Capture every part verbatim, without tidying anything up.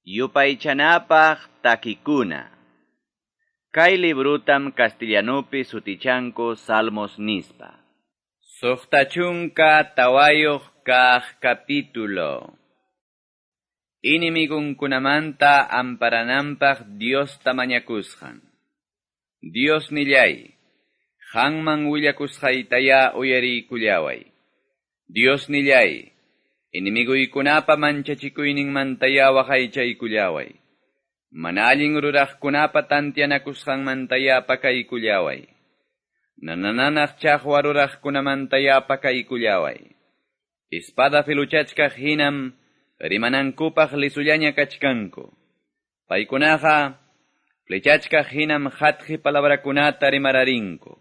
Yupaychanapaq takikuna. Kay librutam castellanupi sutichanku Salmos nispa. Suqta chunka tawayuq kaq capítulo. Inimigunkunamanta amparananpaq Diosta mañakusqan. Dios nillay, qanman willakusqaytaya uyariykullaway. Dios nillay, enemiguykunapa manchachikuyninmantaya waqaychaykullaway. Mana allin ruraqkunapa tantianakusqanmantaya pakaykullaway. Nanananaq chaqwa ruraqkunamantaya pakaykullaway. Espada filuchachkaq hinam rimanankupaq lisullaña kachkanku. Paykunaqa flechachkaq hinam hatqi palabrakunata rimararinku.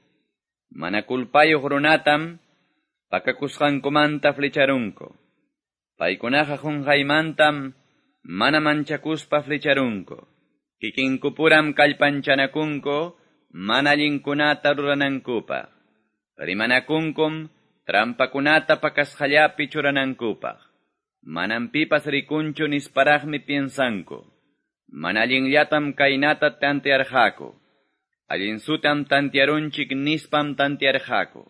Mana kulpayuq runatam pakakusqankumanta flecharunku. Paykunaqa qunqaymantam mana manchakuspa flecharunku. Kikinkupuram kallpanchanakunku mana allinkunata ruranankupaq. Rimanakunkum trampakunata pakasqallapi churanankupaq. Manam pipas rikunchu nisparaqmi piensanku. Mana allinllatam kaynata tantearqaku. Allinsutam tantearunchik nispam tantearqaku.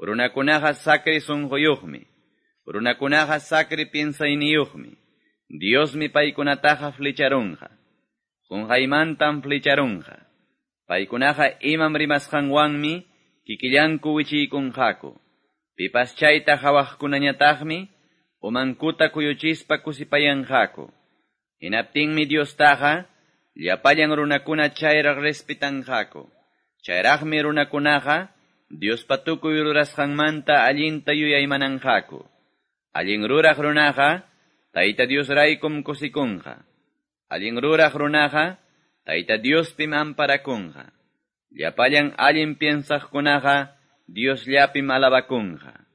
Runakunaqa sacri sunquyuqmi. Runakunaqa sacri piensayniyuqmi. Diosmi paykunataqa flecharunqa. Qunqaymantam flecharunqa. Paykunaqa imam rimasqanwanmi kikillanku wichiykunqaku. Pipas chayta hawaqkunañataqmi umankuta kuyuchispa kusipayanqaku. Hinaptinmi Diostaqa llapallan runakuna chayraq respetanqaku. Chayraqmi runakunaqa Diospa tukuy rurasqanmanta allinta yuyaymananqaku. Allin ruraq runaqa Tayta Diosraykum kusikunqa. Allin ruraq runaqa Tayta Diospim amparakunqa. Llapallan allin piensaqkunaqa Diosllapim alabakunqa.